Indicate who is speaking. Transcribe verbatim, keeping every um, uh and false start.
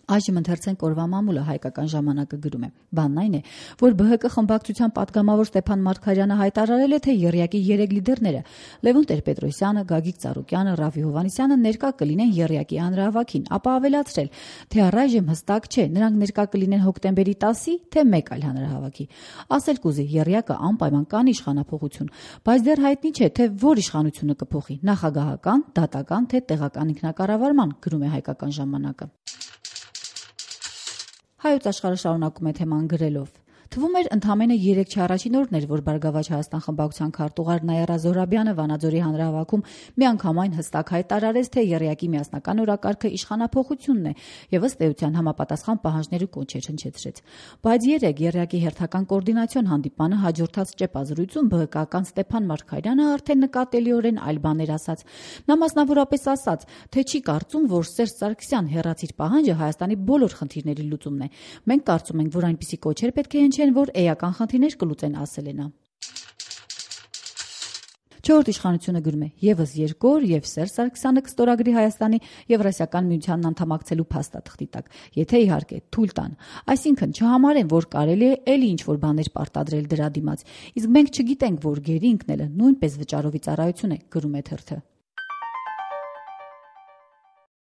Speaker 1: Այժմ ընթերցենք օրվա մամուլը հայկական ժամանակը գրում է. Բանն այն է, որ Բ Հ Կ խմբակցության պատգամավոր Ստեփան Մարգարյանը հայտարարել է, թե ԵՌԵԱԿ-ի երեք լիդերները՝ Լևոն Տեր-Պետրոսյանը, Գագիկ Ծառուկյանը, Ռաֆի Հովհաննիսյանը ներկա կլինեն ԵՌԵԱԿ-ի հանրահավաքին, ապա ավելացրել, թե առայժմ հստակ չէ, նրանք ներկա կլինեն հոկտեմբերի տասի, թե մեկ այլ հանրահավաքի։ Ասել կուզի, ԵՌԵԱԿ-ը անպայման կանի իշխանափոխություն, բայց դեռ հայտնի չէ, թե որ իշխանությունը կփոխի՝ նախագահական, դատական, թե տեղական ինքնակառավարման, գրում է հայկական ժամանակը։ Հայոց աշխարհը շարունակում է թեման գրելով. Թվում էր ընդամենը երեք չառաջին օրն էր, որ Բարգավաճ Հայաստան խմբակցության քարտուղար Նաիրա Զոհրաբյանը Վանաձորի հանրահավաքում միանգամայն հստակ հայտարարեց, թե ԵՌԵԱԿ-ի միասնական օրակարգը իշխանափոխությունն է եւ ըստ էության համապատասխան պահանջներ ու կոչեր հնչեցրեց։ Բայց երեկ ԵՌԵԱԿ-ի հերթական կոորդինացիոն հանդիպանը հաջորդած ճեպազրույցում Բ Հ Կ-ական Ստեփան Մարգարյանը արդեն նկատելիորեն այլ բաներ ասաց։ Նա մասնավորապես ասաց, թե չի կարծում, որ Սերժ Սարգսյան հեռացիր պահանջը Հայաստանի բոլոր խնդիրների լուծումն է։ Մենք կարծում ենք, որ այնպիսի կոչեր պետք է հնչեն, որ էական խնդիրներ կլուծեն, ասել է նա։ Չորրորդ իշխանությունը գրում է. Եվս երկու օր եւ Սերժ Սարգսյանը կստորագրի Հայաստանի Եվրասիական միությանն անդամակցելու փաստաթղթի տակ, եթե իհարկե թույլ տան։ Այսինքն չհամարեն, որ կարելի է էլի ինչ-որ բաներ պարտադրել դրա դիմաց։ Իսկ մենք չգիտենք, որ գերի ընկնելը նույնպես վճարովի ծառայություն է, գրում է թերթը։